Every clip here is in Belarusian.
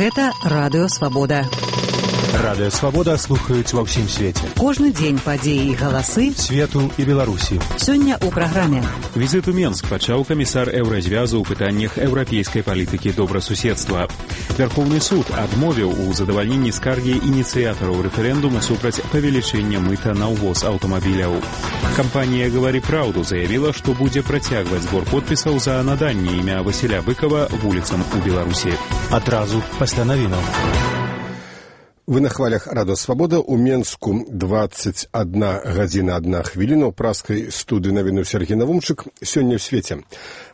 Гэта Радыё Свабода. Радыё Свабода слухаюць ва ўсім свеце. Кожны дзень падзеі і галасы свету і Беларусі. Сёння ў праграме. Візит у Менск пачаў камісар Еўразвязу ў пытаннях еўрапейскай палітыкі добрасуседства. Верховны суд адмовіў у задавальненні скаргі ініцыятараў рэферэндуму супраць павелічэння мыта на ўвоз аўтамабіляў. Кампанія «Гавары праўду» заявіла, што будзе працягваць збор подпісаў за наданне імя Васіля Быкова вуліцам у Беларусі. Адразу пасля навінаў. Вы на хвалях Радыё Свабода. У Менску 21 гадзіна 1 хвіліна. У праскай студыі навіну Сергей Навумчык. Сёння ў свеце.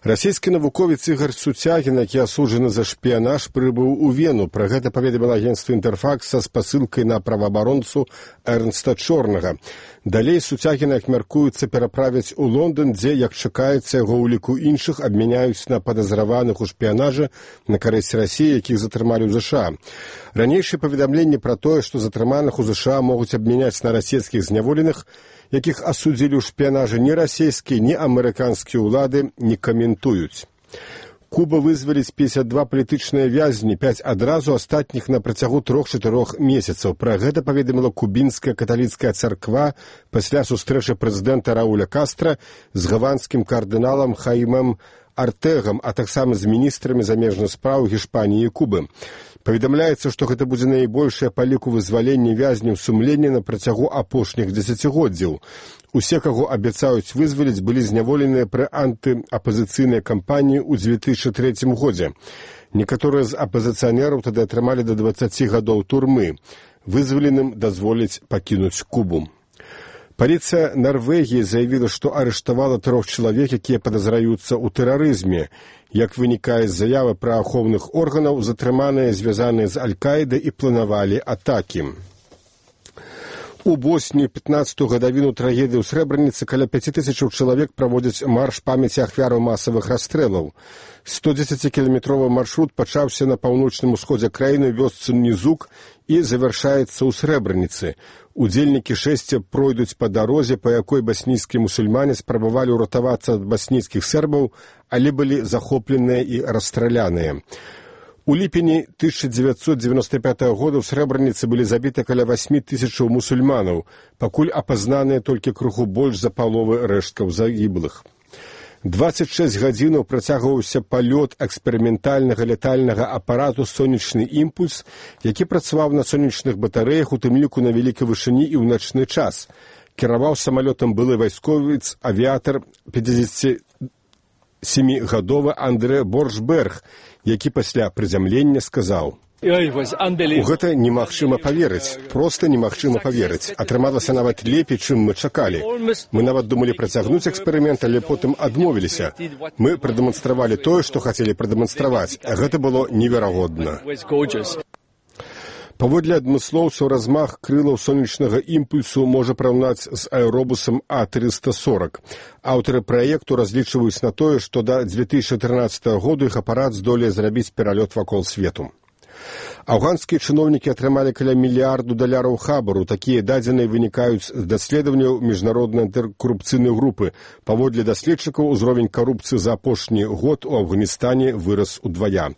Расійскі навуковец Ігор Сутягін, які асуджаны за шпіянаж, прыбыў у Вену. Пра гэта паведаміла агенцтва «Інтэрфакс» са спасылкай на праваабаронцу Эрнста Чорнага. Далей Сутягіна мяркуецца пераправіць у Лондан, дзе, як чакаецца, яго ў ліку іншых абмяняюць на падазраваных у шпіянажы на карысць Расіі, якіх затрымалі ў ЗША. Ранейшае паведамленне пра тое, што затрыманых у ЗША могуць абмяняць на расійскіх зняволеных, якіх асудзілі ў шпіянажы ні расійскія, ні амерыканскія ўлады, не каментуюць. Куба вызваліць 52 палітычныя вязні, 5 адразу, астатніх на працягу 3-4 месяцаў. Пра гэта паведаміла кубінская каталіцкая царква пасля сустрэчы прэзідэнта Рауля Кастра з гаванскім кардыналам Хаімем Артэгам, а таксама з міністрамі замежных спраў Гішпаніі і Кубы. Паведамляецца, што гэта будзе найбольшае па ліку вызвалення вязняў сумлення на працягу апошніх дзесяцігоддзяў. Усе, каго абяцаюць вызваліць, былі зняволеныя пры антыапазіцыйнай кампаніі ў 2003 годзе. Некаторыя з апазіцыянераў тады атрымалі да 20 гадоў турмы. Вызваленым дазволіць пакінуць Кубу. Паліцыя Нарвегіі заявіла, што арыштавала 3 чалавек, якія падазраюцца ў тэрарызме. Як вынікае з заявы праваахоўных органаў, затрыманыя звязаныя з Аль-Каідай і планавалі атакі. У Боснії 15-ту гадавіну трагедыі ў Срэбраніцы каля 5000 чалавек праводзяць марш памяці ахвяраў масавых расстрэлаў. 110-кіламетровы маршрут пачаўся на паўночным усходзе краіны вёсцы Нізук і завяршаецца ў Срэбраніцы. Удзельнікі шэсця пройдуць па дарозе, па якой баснійскія мусульмане спрабавалі ўратавацца ад баснійскіх сербаў, але былі захопленыя і расстраляныя. У ліпені 1995 года ў Срэбраніцы былі забіты каля 8000 мусульманаў, пакуль апазнаныя толькі крыху больш за паловы рэшткаў загіблых. 26 гадзінаў працягваўся палёт эксперыментальнага летальнага апарату «Сонечны імпульс», які працаваў на сонечных батарэях, у тым ліку на вялікай вышыні і ў начны час. Кіраваў самалётам былы вайсковец, авіятар 57-гадовы Андре Боршберг, які пасля прызямлення сказаў: «У гэта немагчыма паверыць, проста немагчыма паверыць. Атрымалася нават лепей, чым мы чакалі. Мы нават думалі працягнуць эксперымент, але потым адмовіліся. Мы прадэманстравалі тое, што хацелі прадэманстраваць. Гэта было неверагодна». Паводле адмыслоўцаў, размах крылаў сонечнага імпульсу можа параўнаць з аэробусам А-340. Аўтары праекту разлічваюць на тое, што да 2013 году іх апарат здолее зрабіць пералёт вакол свету. Афганскія чыноўнікі атрымалі каля $1 мільярд хабару. Такія дадзеныя вынікаюць з даследаванняў міжнароднай антыкарупцыйнай групы. Паводле даследчыкаў, узровень карупцыі за апошні год у Афганістане вырас удвая.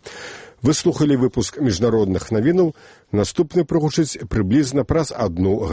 Вы слухалі выпуск міжнародных навінаў. Наступны прагучыць прыблізна праз 1 гадзіну.